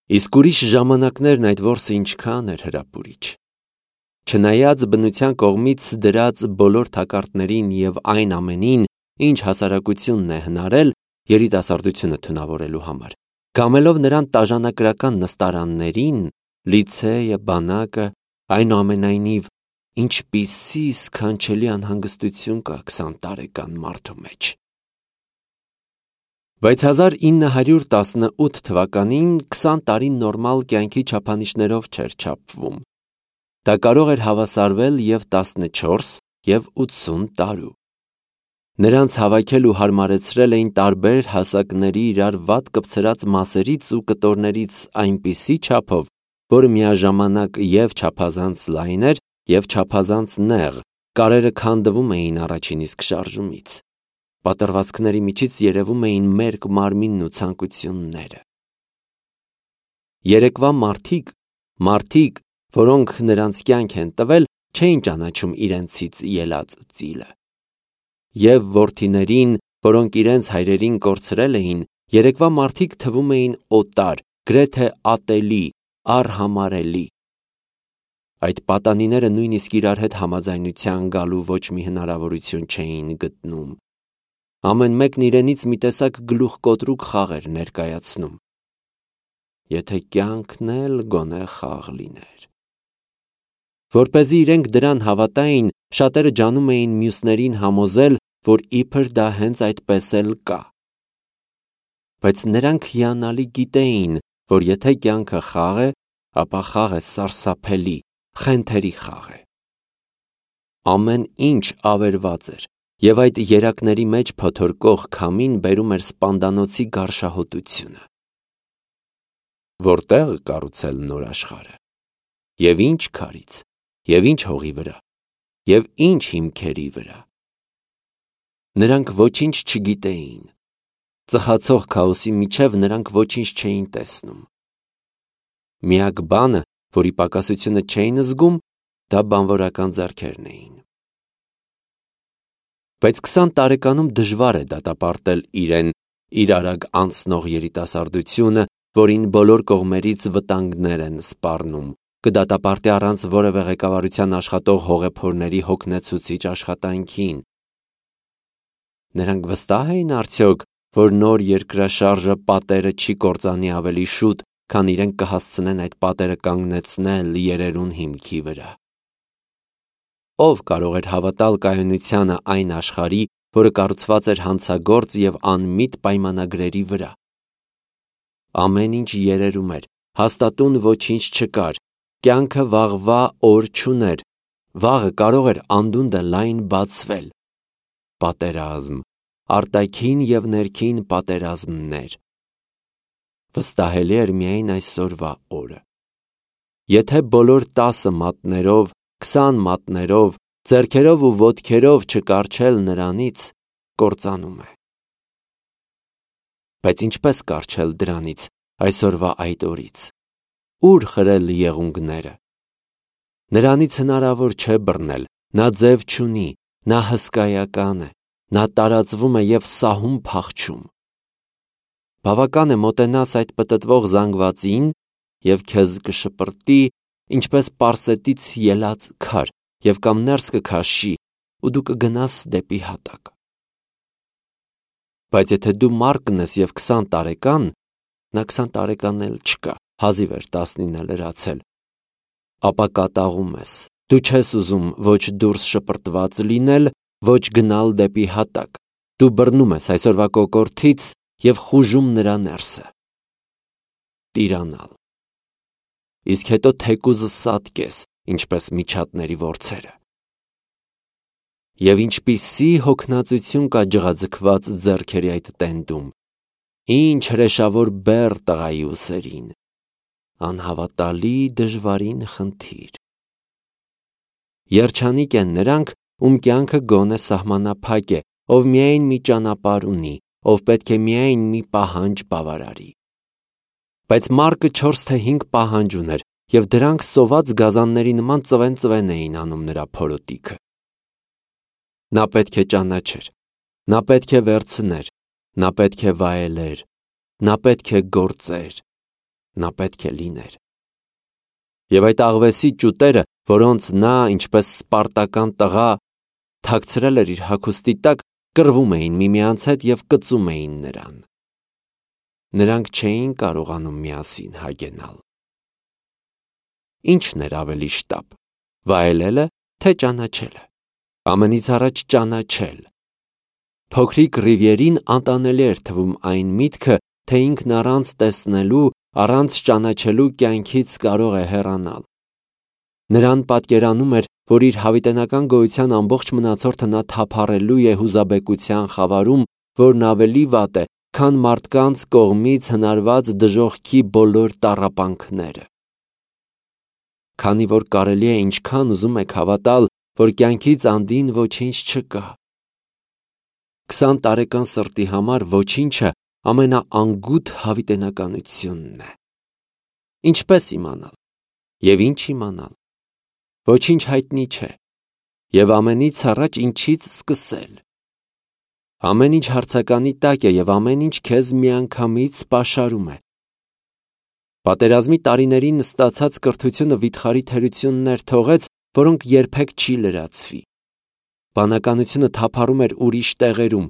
Իսկ ուրիշ ժամանակներն այդ որսը ինչքան էր հրապուրիչ։ Չնայած բնության կողմից դրած բոլոր թակարդներին եւ այն ամենին, ինչ հասարակությունն է հնարել երիտասարդությունը թունավորելու համար, գամելով նրան տաժանակրական նստարաններին, լիցեյը, բանակը, այնուամենայնիվ, ինչպիսի սքանչելի անհանգստություն կա 20 տարեկան մարդու մեջ։ Բայց 1918 թվականին 20 տարի նորմալ կյանքի չափանիշներով չէր չափվում։ Դա կարող էր հավասարվել և 14 և 80 տարու։ Նրանց հավաքել ու հարմարեցրել էին տարբեր հասակների իրար վատ կպցրած մասերից ու կտորներից այնպիսի չափով, որ միաժամանակ և չափազանց լայն էր, և չափազանց նեղ, կարերը քանդվում էին առաջին իսկ շարժումից։ Պատռվածքների միջից երևում էին մերկ մարմինն ու ցանկությունները։ Երեկվա մարդիկ, որոնք նրանց կյանք են տվել, չէին ճանաչում իրենցից ելած ծիլը։ Եվ որդիներին, որոնք իրենց հայրերին կորցրել էին, երեկվա մարդիկ թվում էին օտար, գրեթե ատելի, արհամարհելի։ Այդ պատանիները նույնիսկ իրար հետ համաձայնության գալու ոչ մի հնարավորություն չէին գտնում։ Ամեն մեկն իրենից մի տեսակ գլուխկոտրուկ խաղ էր ներկայացնում։ Եթե կյանքն էլ գոնե խաղ լիներ։ Որպեսզի իրենք դրան հավատային, շատերը ջանում էին մյուսներին համոզել, որ իբր դա հենց այդպես էլ կա։ Բայց նրանք հիանալի գիտեին, որ եթե կյանքը խաղ է, ապա խաղը սարսափելի, խենթերի խաղ է։ Ամեն ինչ ավերված էր, և այդ երակների մեջ փոթորկող քամին բերում էր սպանդանոցի գարշահոտությունը։ Որտեղ կառուցել նոր աշխարհը, և ինչ քարից, և ինչ հողի վրա, և ինչ հիմքերի վրա։ Նրանք ոչինչ չգիտեին։ Ծխացող քաոսի միջև նրանք ոչինչ չէին տեսնում։ Միակ բանը, որի պակասությունը չէին զգում, դա բանվորական ձեռքերն էին։ Բայց 20 տարեկանում դժվար է դատապարտել իրեն իր արագ անցնող երիտասարդությունը, որին բոլոր կողմերից վտանգներ են սպառնում, կդատապարտի առանց որևէ ղեկավարության աշխատող հողեփորների հոգնեցուցիչ աշխատանքին։ Նրանք վստահ էին արդյոք, որ նոր երկրաշարժը պատերը չի կործանի ավելի շուտ, քան իրենք կհասցնեն այդ պատերը կանգնեցնել երերուն հիմքի վրա։ Ով կարող էր հավատալ կայունությանը այն աշխարհի, որը կառուցված էր հանցագործ և անմիտ պայմանագրերի վրա։ Ամեն ինչ երերում էր, հաստատուն ոչինչ չկար, կյանքը վաղվա օր չուներ, վաղը կարող էր անդունդը լայն բացվել։ Պատերազմ, արտաքին և ներքին պատերազմներ։ Վստահելի էր միայն այսօրվա օրը։ Եթե բոլոր 10 մատներով, 20 մատներով, ձեռքերով ու ոտքերով չկառչել նրանից, կործանում է։ Բայց ինչպես կառչել դրանից, այսօրվա այդ օրից, ուր խրել եղունգները։ Նրանից հնարավոր չէ բռնել, նա ձև չունի, նա հսկայական է, նա տարածվում է և սահում փախչում։ Բավական է մոտենաս այդ պտտվող զանգվածին, և քեզ կշպրտի, ինչպես պարսետից ելած քար, և կամ ներս կքաշի, ու դու կգնաս դեպի հատակ։ Բայց եթե դու մարկն ես և 20 տարեկան, նա 20 տարեկան էլ չկա, հազիվ էր 19-ը լրացել, ապա կատաղում ես, դու չես ուզում ոչ դուրս շպրտված լինել, ոչ գնալ դեպի հատակ, դու բռնում ես այսօրվա կոկորդից և խուժում նրա ներսը։ Տիրանալ։ Իսկ հետո թեկուզը սատկես, ինչպես միջատների որձերը։ Եվ ինչպիսի հոգնածություն կա ջղաձգված ձեռքերի այդ տենդում, ինչ հրեշավոր բեռ տղայի ուսերին, անհավատալի դժվարին խնդիր։ Երջանիկ են նրանք, ում կյանքը գոնե սահմանափակ է, ով միայն մի ճանապարհ ունի, ով պետք է միայն մի պահանջ բավարարի։ Բայց Մարկը 4 թե 5 պահանջ ուներ, և դրանք սոված գազանների նման ծվեն էին անում նրա փորոտիքը։ Նա պետք է ճանաչեր, նա պետք է վերցներ, նա պետք է վայելեր, նա պետք է գործեր, նա պետք է լիներ։ Եվ այդ աղվեսի ճուտերը, որոնց նա, ինչպես սպարտական տղա, թաքցրել էր իր հագուստի տակ, կռվում էին միմյանց հետ և կծում էին նրան։ Նրանք չէին կարողանում միասին հագենալ։ Ի՞նչն էր ավելի շտապ, վայելելը, թե ճանաչելը։ Ամենից առաջ ճանաչել։ Փոքրիկ Ռիվիերին անտանելի էր թվում այն միտքը, թե ինքն առանց տեսնելու, առանց ճանաչելու կյանքից կարող է հեռանալ։ Նրան պատկերանում էր, որ իր հավիտենական գոյության ամբողջ մնացորդը նա թափառելու է հուզաբեկության խավարում, որն ավելի վատ է, քան մարդկանց կողմից հնարված դժոխքի բոլոր տառապանքները։ Քանի որ կարելի է ինչքան ուզում եք հավատալ, որ կյանքից անդին ոչինչ չկա։ 20 տարեկան սրտի համար ոչինչը ամենաանգութ հավիտենականությունն է։ Ինչպես իմանալ։ Եվ ինչ իմանալ։ Ոչինչ հայտնի չէ։ Եվ ամենից առաջ ինչից սկսել։ Ամեն ինչ հարցականի տակ է և ամեն ինչ քեզ միանգամից պաշարում է։ Պատերազմի տարիներին ստացած կրթությունը վիթխարի թերություններ թողեց, որոնք երբեք չի լրացվի։ Բանականությունը թափառում էր ուրիշ տեղերում,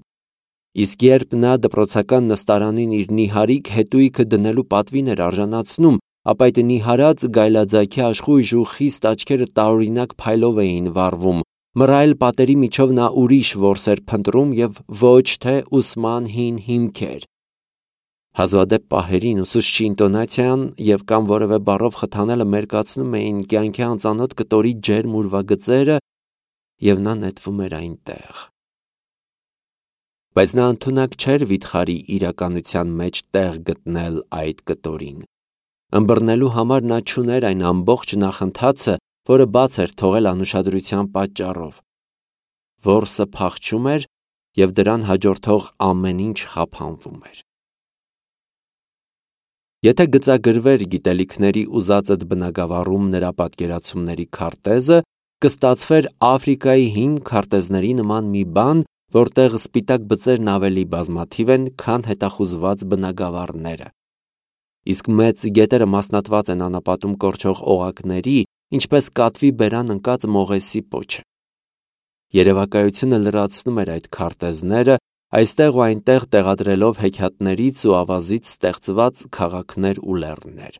իսկ երբ նա դպրոցական նստարանին իր նիհարիկ հետույքը դնելու պատվին էր արժանացնում, ապա այդ նիհարած գայլաձագի աշխույժ ու խիստ աչքերը տարօրինակ փայլով էին վառվում, մռայլ պատերի միջով նա ուրիշ որս էր փնտրում և ոչ թե ուսման հին հիմքեր։ Հազվադեպ պահերին ուսուցչի ինտոնացիան և կամ որևէ բառով խթանելը մերկացնում էին կյանքի անծանոթ կտորի ջերմ ուրվագծերը, և նա նետվում էր այնտեղ։ Բայց նա ընդունակ չէր վիթխարի իրականության մեջ տեղ գտնել այդ կտորին։ Ըմբռնելու համար նա չուներ այն ամբողջ նախընթացը, որը բաց էր թողել անուշադրության պատճառով։ Որսը փախչում էր, և դրան հաջորդող ամեն ինչ խափանվում էր։ Եթե գծագրվեր գիտելիքների ուզածդ բնագավառում նրա պատկերացումների քարտեզը, կստացվեր Աֆրիկայի հին քարտեզների նման մի բան, որտեղ սպիտակ բծերն ավելի բազմաթիվ են, քան հետախուզված բնագավառները։ Իսկ մեծ գետերը մասնատված են անապատում կորչող օղակների, ինչպես կատվի բերան ընկած մողեսի պոչը։ Երևակայությունը լրացնում էր այդ քարտեզները, այստեղ ու այնտեղ տեղադրելով հեքիաթներից ու ավազից ստեղծված քաղաքներ ու լեռներ։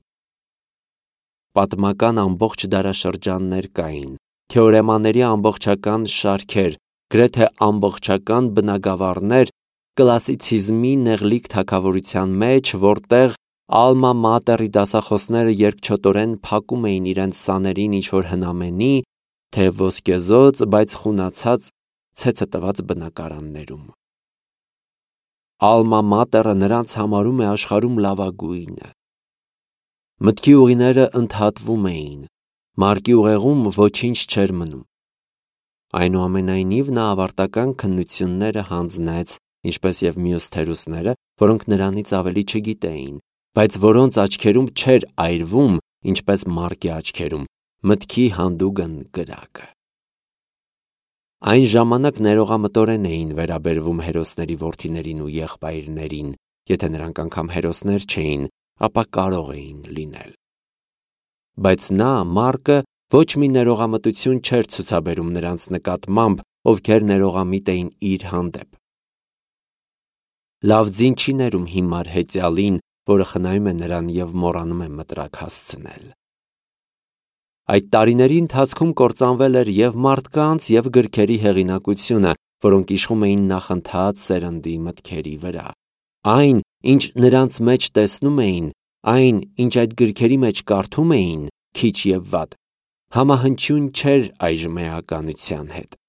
Պատմական ամբողջ դարաշրջաններ կային, թեորեմաների ամբողջական շարքեր, գրեթե ամբողջական բնագավառներ, կլասիցիզմի նեղլիկ թագավորության մեջ, որտեղ ալմա մատերի դասախոսները երկչոտորեն փակում էին իրենց սաներին ինչ-որ հնամենի, թե ոսկեզօծ, բայց խունացած ցեցը տված բնակարաններում։ Ալմա մատերը նրանց համարում է աշխարհում լավագույնը։ Մտքի ուղիները ընդհատվում էին, մարկի ուղեղում ոչինչ չէր մնում։ Այնուամենայնիվ նա ավարտական քննությունները հանձնեց, ինչպես և մյուս թերուսները, որոնք նրանից ավելի չգիտեին, բայց որոնց աչքերում չէր այրվում, ինչպես մարկի աչքերում, մտքի հանդուգն կրակը։ Այն ժամանակ ներողամտորեն էին վերաբերվում հերոսների որդիներին ու եղբայրներին, եթե նրանք անգամ հերոսներ չէին, ապա կարող էին լինել։ Բայց նա, Մարկը, ոչ մի ներողամտություն չէր ցուցաբերում նրանց նկատմամբ, ովքեր ներողամիտ էին իր հանդեպ։ Լավ ձին չի ներում հիմար հեծյալին, որը խնայում է նրան և մոռանում է մտրակ հասցնել։ Այդ տարիների ընթացքում կործանվել էր և մարդկանց, և գրքերի հեղինակությունը, որոնք իշխում էին նախընթաց սերնդի մտքերի վրա։ Այն, ինչ նրանց մեջ տեսնում էին, այն, ինչ այդ գրքերի մեջ կարդում էին, քիչ և վատ, համահնչյուն չէր այժմ էականության հետ։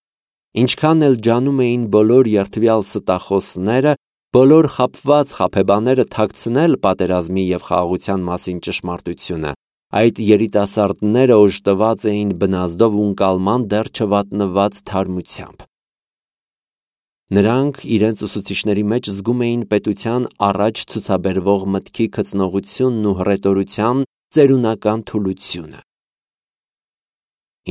Ինչքան էլ ջանում էին բոլոր երդվյալ ստախոսները, բոլոր խաբված խաբեբաները թաքցնել պատերազմի և խաղաղության մասին ճշմարտությունը, այդ երիտասարդները օժտված էին բնազդով ու ընկալման դեռ չվատնված թարմությամբ։ Նրանք իրենց ուսուցիչների մեջ զգում էին պետության առաջ ցուցաբերվող մտքի գծնողությունն ու հռետորության ծերունական թուլությունը։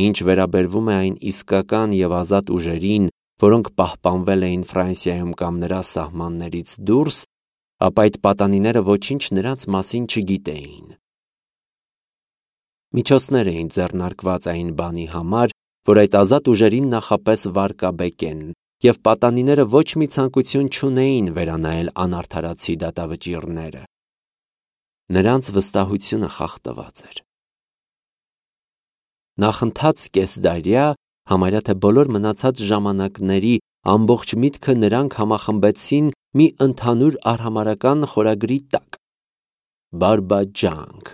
Ինչ վերաբերվում է այն իսկական և ազատ ուժերին, որոնք պահպանվել էին Ֆրանսիայում կամ նրա սահմաններից դուրս, ապա այդ պատանիները ոչինչ նրանց մասին չգիտեին։ Միջոցներ էին ձեռնարկված այն բանի համար, որ այդ ազատ ուժերին նախապես վարկաբեկեն, և պատանիները ոչ մի ցանկություն չունեին վերանայել անարդարացի դատավճիռները։ Նրանց վստահությունը խախտված էր։ Նախընթաց կեսդարյա, համարյա թե բոլոր մնացած ժամանակների ամբողջ միտքը նրանք համախմբեցին մի ընդհանուր արհամարհական խորագրի տակ։ Բարբաջանք,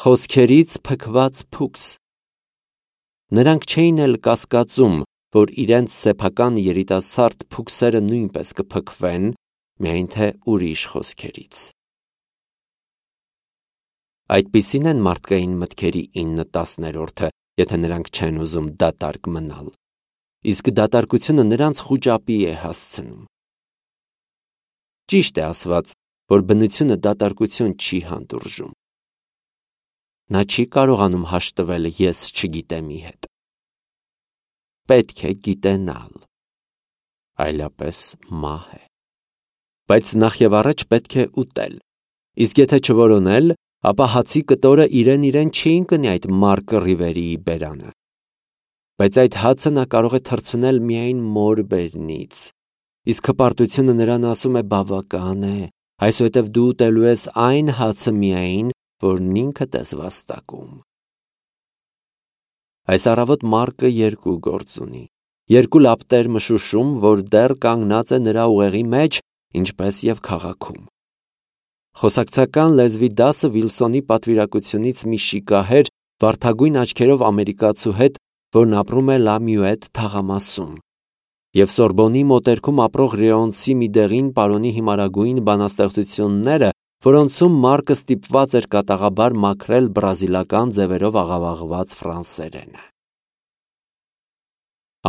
խոսքերից փքված փուքս։ Նրանք չէին էլ կասկածում, որ իրենց սեփական երիտասարդ փուքսերը նույնպես կփքվեն, միայն թե ուրիշ խոսքերից։ Այդպիսին են մարդկային մտքերի 9/10, եթե նրանք չեն ուզում դատարկ մնալ, իսկ դատարկությունը նրանց խուճապի է հասցնում։ Ճիշտ է ասված, որ բնությունը դատարկություն չի հանդուրժում։ Նա չի կարողանում հաշտվել ես չգիտեմի հետ։ Պետք է գիտենալ, այլապես մահ է։ Բայց նախ եւ առաջ պետք է ուտել, իսկ եթե չորոնել, ապա հացի կտորը իրեն չի ընկնի այդ մարկը Ռիվերիի բերանը։ Բայց այդ հացը նա կարող է թռցնել միայն մոր բերնից, իսկ հպարտությունը նրան ասում է բավական է, այսուհետև դու ուտելու ես այն հացը միայն, որն ինքդ ես վաստակում։ Այս առավոտ մարկը երկու գործ ունի, երկու լապտեր մշուշում, որ դեռ կանգնած է նրա ուղեղի մեջ, ինչպես եւ քաղաքում։ Խոսակցական լեզվի դասը Վիլսոնի պատվիրակությունից մի շիկահեր, վարդագույն աչքերով ամերիկացու հետ, որն ապրում է Լամյուետ թաղամասում, և Սորբոնի մոտերքում ապրող ռեոնցի մի դեղին պարոնի հիմարագույն բանաստեղծությունները, որոնցում Մարկը ստիպված էր կատաղաբար մաքրել բրազիլական ձևերով աղավաղված ֆրանսերենը։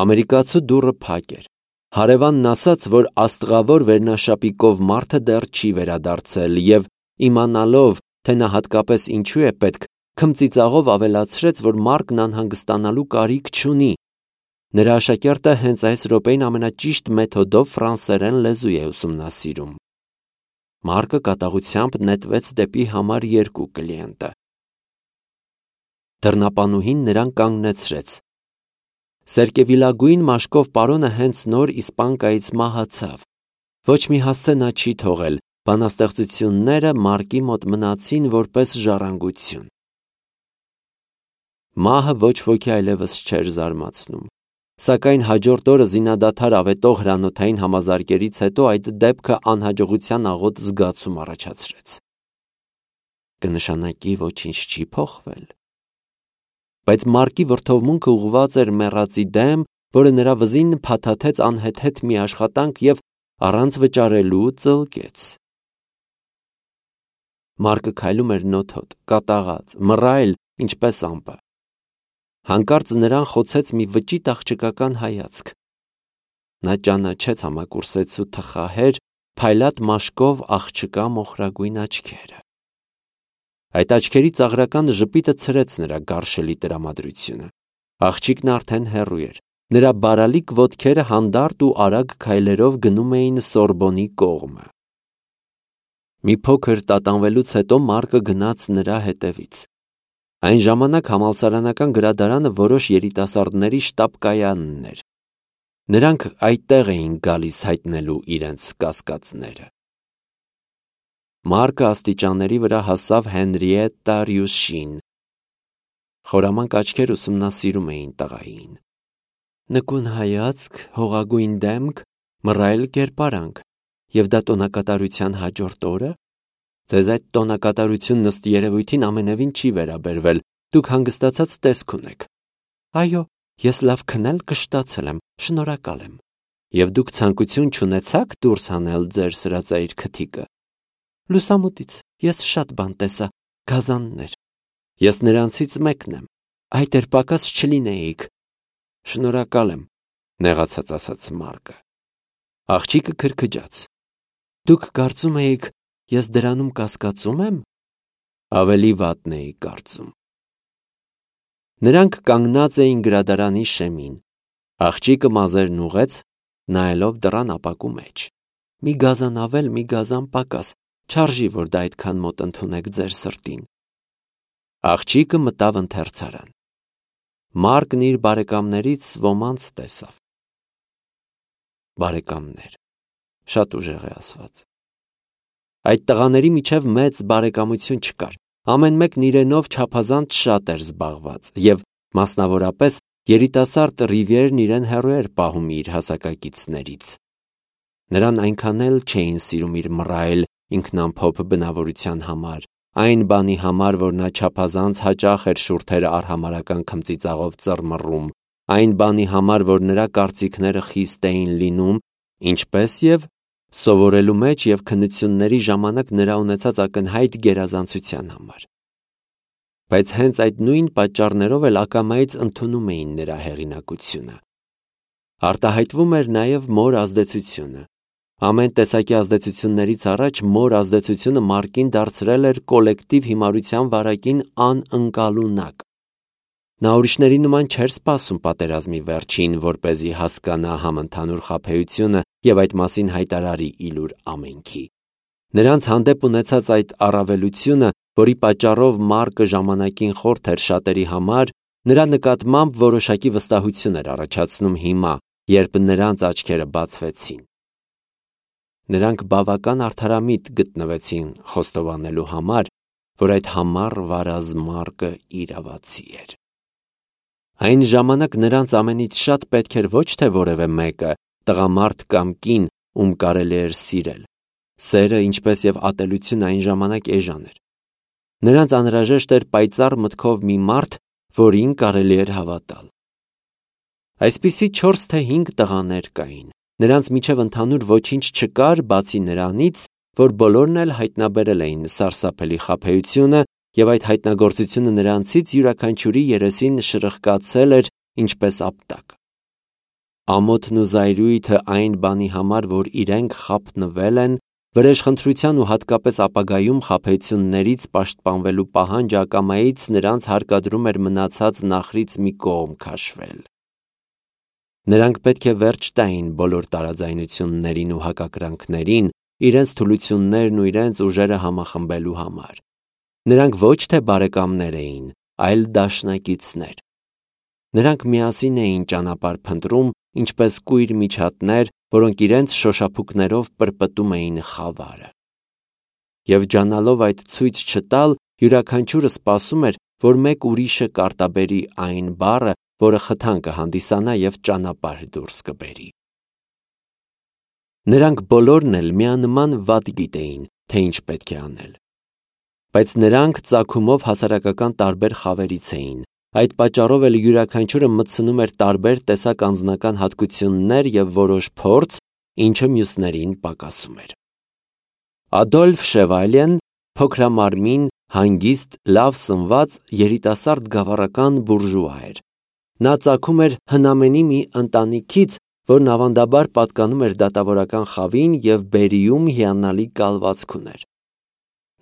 Ամերիկացու դուռը փակ էր։ Հարևանն ասաց, որ աստղավոր վերնաշապիկով մարդը դեռ չի վերադարձել և, իմանալով, թե նա հատկապես ինչու է պետք, քմծիծաղով ավելացրեց, որ Մարկն անհանգստանալու կարիք չունի։ Նրա աշակերտը հենց այս րոպեին ամենաճիշտ մեթոդով ֆրանսերեն լեզու է ուսումնասիրում։ Մարկը կատաղությամբ նետվեց դեպի համար 2 կլիենտը։ Դռնապանուհին նրան կանգնեցրեց։ Սերկևիլագույն մաշկով պարոնը հենց նոր իսպանկայից մահացավ։ Ոչ մի հասցե նա չի թողել, բանաստեղծությունները Մարկի մոտ մնացին որպես ժառանգություն։ Մահը ոչ ոքի այլևս չէր զարմացնում, սակայն հաջորդ օրը զինադադար ավետող հրանոթային համազարկերից հետո այդ դեպքը անհաջողության աղոտ զգացում առաջացրեց։ Կնշանակի ոչինչ չի փոխվել։ Բայց Մարկի վրդովմունքը ուղղված էր մեռածի դեմ, որը նրա վզին փաթաթեց անհեթեթ մի աշխատանք և առանց վճարելու ծլկեց։ Մարկը քայլում էր նոթոտ, կատաղած, մռայլ, ինչպես ամպը։ Հանկարծ նրան խոցեց մի վճիտ աղջկական հայացք։ Նա ճանաչեց համակուրսեցու թխահեր, փայլատ մաշկով աղջկա մոխրագույն աչքերը։ Այդ աչքերի ծաղրական ժպիտը ցրեց նրա գարշելի տրամադրությունը։ Աղջիկն արդեն հեռու էր։ Նրա բարալիկ ոտքերը հանդարտ ու արագ քայլերով գնում էին Սորբոնի կողմը։ Մի փոքր տատանվելուց հետո Մարկը գնաց նրա հետևից։ Այն ժամանակ համալսարանական գրադարանը որոշ երիտասարդների շտապ-կայանն էր։ Նրանք այդտեղ էին գալիս հայտնելու իրենց կասկածները։ Մարկը աստիճանների վրա հասավ Հենրիետտա Ռյուշին։ Խորամանկ աչքեր ուսումնասիրում էին տղային։ Նկուն հայացք, հողագույն դեմք, մռայլ կերպարանք, և դա տոնակատարության հաջորդ օրը։ Ձեզ այդ տոնակատարությունն ըստ երևույթին ամենևին չի վերաբերվել, դուք հանգստացած տեսք ունեք։ Այո, ես լավ քնել կշտացել եմ, շնորհակալ եմ։ Եվ դուք ցանկություն չունեցաք դուրս հանել ձեր սրածայր քթիկը։ Լուսամուտից ես շատ բան տեսա, գազաններ։ Ես նրանցից մեկն եմ, այդ էր պակաս չլինեիք։ Շնորհակալ եմ, նեղացած ասաց Մարկը։ Աղջիկը քրքջաց։ Դուք կարծում էիք, ես դրանում կասկածում եմ։ Ավելի վատն էի կարծում։ Նրանք կանգնած էին գրադարանի շեմին։ Աղջիկը մազերն ուղեց, նայելով դռան ապակու մեջ։ Մի գազան ավել, մի գազան պակաս, չարժի, որ դա այդքան մոտ ընդունեք ձեր սրտին։ Աղջիկը մտավ ընթերցարան։ Մարկն իր բարեկամներից ոմանց տեսավ։ Բարեկամներ, շատ ուժեղ է ասված։ Այդ տղաների միջև մեծ բարեկամություն չկար։ Ամեն մեկն իրենով չափազանց շատ էր զբաղված, եւ մասնավորապես երիտասարդ Ռիվիերն իրեն հեռու էր պահում իր հասակակիցներից։ Նրան այնքան էլ չէին սիրում իր մռայլ ինքնամփոփ բնավորության համար, այն բանի համար, որ նա չափազանց հաճախ էր շուրթերը արհամարական քմծիծաղով ծռմռում, այն բանի համար, որ նրա կարծիքները խիստ էին լինում, ինչպես եւ սովորելու մեջ եւ քննությունների ժամանակ նրա ունեցած ակնհայտ գերազանցության համար։ Բայց հենց այդ նույն պատճառներով էլ ակամայից ընդունում էին նրա հեղինակությունը։ Արտահայտվում էր նաեւ մոր ազդեցությունը։ Ամեն տեսակի ազդեցություններից առաջ մոր ազդեցությունը Մարկին դարձրել էր կոլեկտիվ հիմարության վարակին անընկալունակ։ Նա ուրիշների նման չէր սպասում պատերազմի վերջին, որպեսզի հասկանա համընդհանուր խաբեությունը եւ այդ մասին հայտարարի իլուր ամենքի։ Նրանց հանդեպ ունեցած այդ առավելությունը, որի պատճառով Մարկը ժամանակին խորթ էր շատերի համար, նրա նկատմամբ որոշակի վստահություն էր առաջացնում հիմա, երբ նրանց աչքերը բացվեցին։ Նրանք բավական արդարամիտ գտնվեցին խոստովանելու համար, որ այդ համառ վարազ Մարկը իրավացի էր։ Այն ժամանակ նրանց ամենից շատ պետք էր ոչ թե որևէ մեկը, տղամարդ կամ կին, ում կարելի էր սիրել։ Սերը, ինչպես եւ ատելությունը այն ժամանակ էժան էր։ Նրանց անհրաժեշտ էր պայծառ մտքով մի մարդ, որին կարելի էր հավատալ։ Այսպիսի 4 թե 5 տղաներ կային։ Նրանց միջև ընդհանուր ոչինչ չկար, բացի նրանից, որ բոլորն էլ հայտնաբերել էին սարսափելի խաբեությունը, եւ այդ հայտնագործությունը նրանցից յուրաքանչյուրի երեսին շրխկացել էր ինչպես ապտակ։ Ամոթն ու զայրույթը այն բանի համար, որ իրենք խաբնվել են, վրեժխնդրության ու հատկապես ապագայում խաբեություններից պաշտպանվելու պահանջ ակամայից նրանց հարկադրում էր մնացած նախրից մի կողմ քաշվել։ Նրանք պետք է վերջ տային բոլոր տարաձայնություններին ու հակակրանքներին, իրենց թուլություններն ու իրենց ուժերը համախմբելու համար։ Նրանք ոչ թե բարեկամներ էին, այլ դաշնակիցներ։ Նրանք միասին էին ճանապարհ փնտրում, ինչպես կույր միջատներ, որոնք իրենց շոշափուկներով պրպտում էին խավարը։ Եվ ջանալով այդ ցույց չտալ, յուրաքանչյուրը սպասում էր, որ մեկ ուրիշը կարտաբերի այն բառը, որը խթան կհանդիսանա եւ ճանապարհ դուրս կբերի։ Նրանք բոլորն էլ միանման վատ գիտեին, թե ինչ պետք է անել։ Բայց նրանք ծագումով հասարակական տարբեր խավերից էին։ Այդ պատճառով էլ յուրաքանչյուրը մտցնում էր տարբեր տեսակ անձնական հատկություններ եւ որոշ փորձ, ինչը մյուսներին պակասում էր։ Ադոլֆ Շևալեն փոքրամարմին, հանգիստ, լավ սնված, երիտասարդ գավառական բուրժուա էր։ Նա ծագում էր հնամենի մի ընտանիքից, որն ավանդաբար պատկանում էր դատավորական խավին եւ Բերիում հիանալի կալվածք ուներ։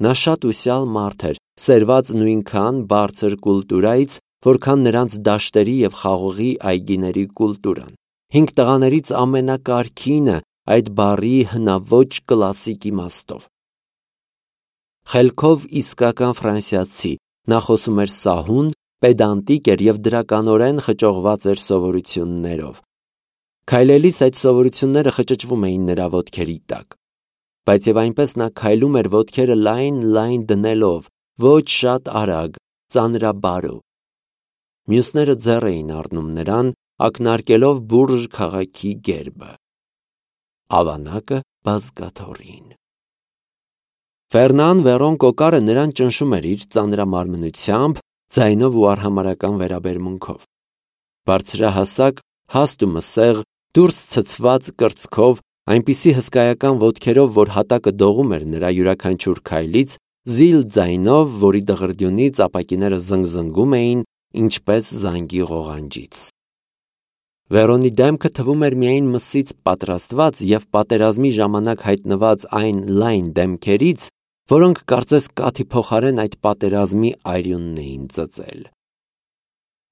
Նա շատ ուսյալ մարդ էր, սերված նույնքան բարձր կուլտուրայից, որքան նրանց դաշտերի եւ խաղողի այգիների կուլտուրան։ 5 տղաներից ամենակարգինը այդ բառի հնաոճ կլասիկ իմաստով։ Խելքով իսկական ֆրանսիացի, նա խոսում էր սահուն, պեդանտիկ էր եւ դրականորեն խճողված էր սովորություններով։ Քայլելիս այդ սովորությունները խճճվում էին նրա ոտքերի տակ։ Բայց եւ այնպես նա քայլում էր ոտքերը լայն դնելով, ոչ շատ արագ, ծանրաբարո։ Մյուսները ձեռ էին առնում նրան, ակնարկելով բուրժ քաղաքի գերբը։ Ավանակը բազկաթոռին։ Ֆերնան Վերոն Կոկարը նրան ճնշում էր իր ծանրամարմնությամբ, ձայնով ու արհամարական վերաբերմունքով։ Բարձրահասակ, հաստ ու մսեղ, դուրս ցցված կրծքով, այնպիսի հսկայական ոտքերով, որ հատակը դողում էր նրա յուրաքանչյուր քայլից, զիլ ձայնով, որի դղրդյունից ապակիները զնգզնգում էին, ինչպես զանգի ղողանջից։ Վերոնի դեմքը թվում էր միայն մսից պատրաստված եւ պատերազմի ժամանակ հայտնված այն լայն դեմքերից, որոնք կարծես կաթի փոխարեն այդ պատերազմի այրյունն էին ծծել։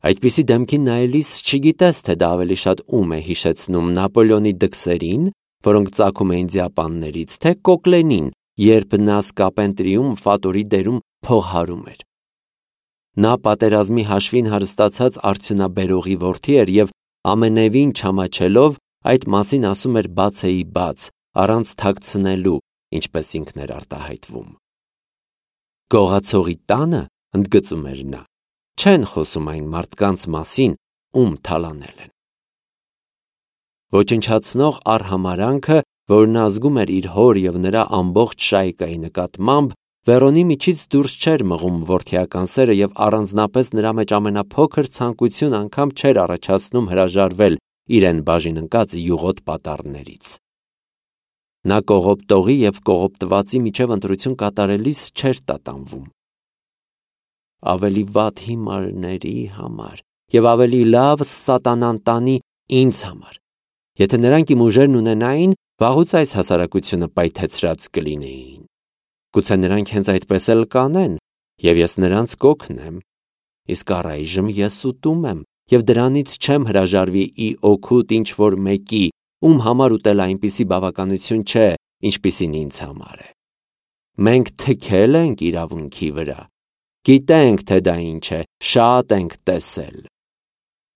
Այդպիսի դեմքին նայելիս չգիտես, թե դա ավելի շատ ում է հիշեցնում Նապոլեոնի դքսերին, որոնք ծագում էին ձիապաններից, թե Կոկլենին, երբ նա Սկապենտրիում Ֆատորի դերում փողհարում էր։ Նա պատերազմի հաշվին հարստացած արդյունաբերողի որդի էր և ամենևին չամաչելով այդ մասին ասում էր բացեի բաց, առանց թաքցնելու, ինչպես ինքն էր արտահայտվում։ Գողացողի տանը, ընդգծում էր նա, չեն խոսում այն մարդկանց մասին, ում թալանել են։ Ոչնչացնող արհամարանքը, որն ազգում էր իր հոր և նրա ամբողջ շայկայի նկատմամբ, Վերոնի միջից դուրս չէր մղում որդիական սերը և առանձնապես նրա մեջ ամենափոքր ցանկություն անգամ չէր առաջացնում հրաժարվել իրեն բաժին ընկած յուղոտ պատառներից։ Նա կողոպտողի և կողոպտվածի միջև ընտրություն կատարելիս չէր տատանվում։ Ավելի վատ հիմարների համար և ավելի լավ սատանան տանի ինձ համար։ Եթե նրանք իմ ուժերն ունենային, վաղուց այս հասարակությունը պայթեցրած կլինեին։ Գուցե նրանք հենց այդպես էլ կանեն, և ես նրանց կօգնեմ։ Իսկ առայժմ ես ուտում եմ, և դրանից չեմ հրաժարվի ի օգուտ ինչ-որ մեկի, ում համար ուտելը այնպիսի բավականություն չէ, ինչպիսին ինձ համար է։ Մենք թքել ենք իրավունքի վրա։ Գիտենք, թե դա ինչ է, շատ ենք տեսել։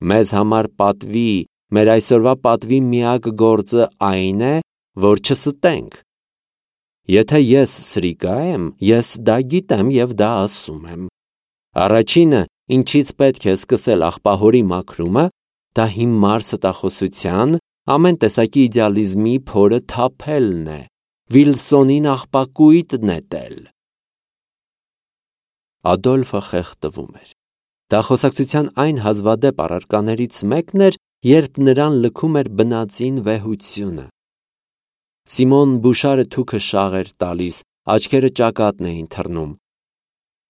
Մեզ համար պատվի, մեր այսօրվա պատվի միակ գործը այն է, որ չստենք։ Եթե ես սրիկա եմ, ես դա գիտեմ և դա ասում եմ։ Առաջինը, ինչից պետք է սկսել աղբահորի մաքրումը, դա հիմար ստախոսության, ամեն տեսակի իդեալիզմի փորը թափելն է, Վիլսոնին աղբակույտ նետել։ Ադոլֆը խեղդվում էր։ Դա խոսակցության այն հազվադեպ առարկաներից մեկն էր, երբ նրան լքում էր բնածին վեհությունը։ Սիմոն Բուշարը թուքը շաղ էր տալիս, աչքերը ճակատն էին թռնում։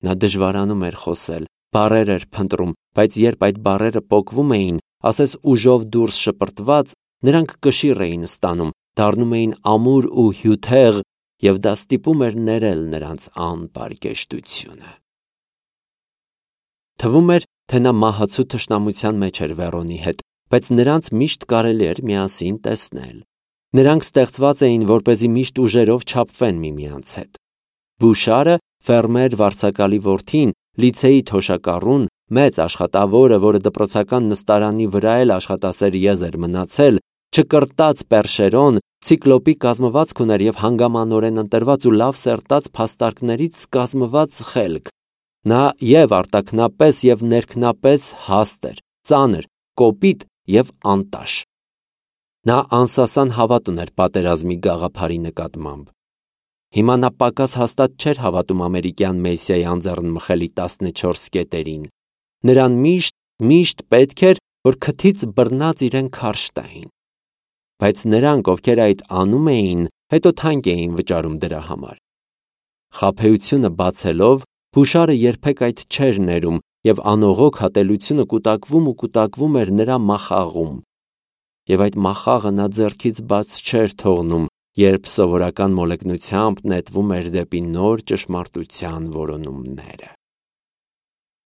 Նա դժվարանում էր խոսել, բառեր էր փնտրում, բայց երբ այդ բառերը պոկվում էին, ասես ուժով դուրս շպրտված, նրանք կշիռ էին ստանում, դառնում էին ամուր ու հյութեղ, և դա ստիպում էր ներել նրանց անպարկեշտությունը։ Թվում էր, թե նա մահացու թշնամության մեջ էր Վերոնի հետ, բայց նրանց միշտ կարելի էր միասին տեսնել։ Նրանք ստեղծված էին, որպեսզի միշտ ուժերով չափվեն միմյանց հետ։ Բուշարը, ֆերմեր վարձակալի որդին, լիցեի թոշակառուն, մեծ աշխատավորը, որը դպրոցական նստարանի վրա էլ աշխատասեր եզ էր մնացել, չկրտած պերշերոն, ցիկլոպի կազմվածք ուներ և հանգամանորեն ընտրված ու լավ սերտած փաստարկներից կազմված խելք։ Նա և արտաքնապես և ներքնապես հաստ էր, ծանր, կոպիտ և անտաշ։ Նա անսասան հավատ ուներ պատերազմի գաղափարի նկատմամբ։ Հիմա նա պակաս հաստատ չէր հավատում ամերիկյան Մեսիայի անձեռնմխելի 14 կետերին։ Նրան միշտ պետք էր, որ քթից բռնած իրեն քարշ տային։ Բայց նրանք, ովքեր այդ անում էին, հետո թանկ էին վճարում դրա համար։ Խաբեությունը բացելով, Բուշարը երբեք այդ չէր ներում, և անողոք հատելությունը կուտակվում էր նրա մախաղում։ Եվ այդ մախաղը նա ձեռքից բաց չէր թողնում, երբ սովորական մոլեգնությամբ նետվում էր դեպի նոր ճշմարտության որոնումները։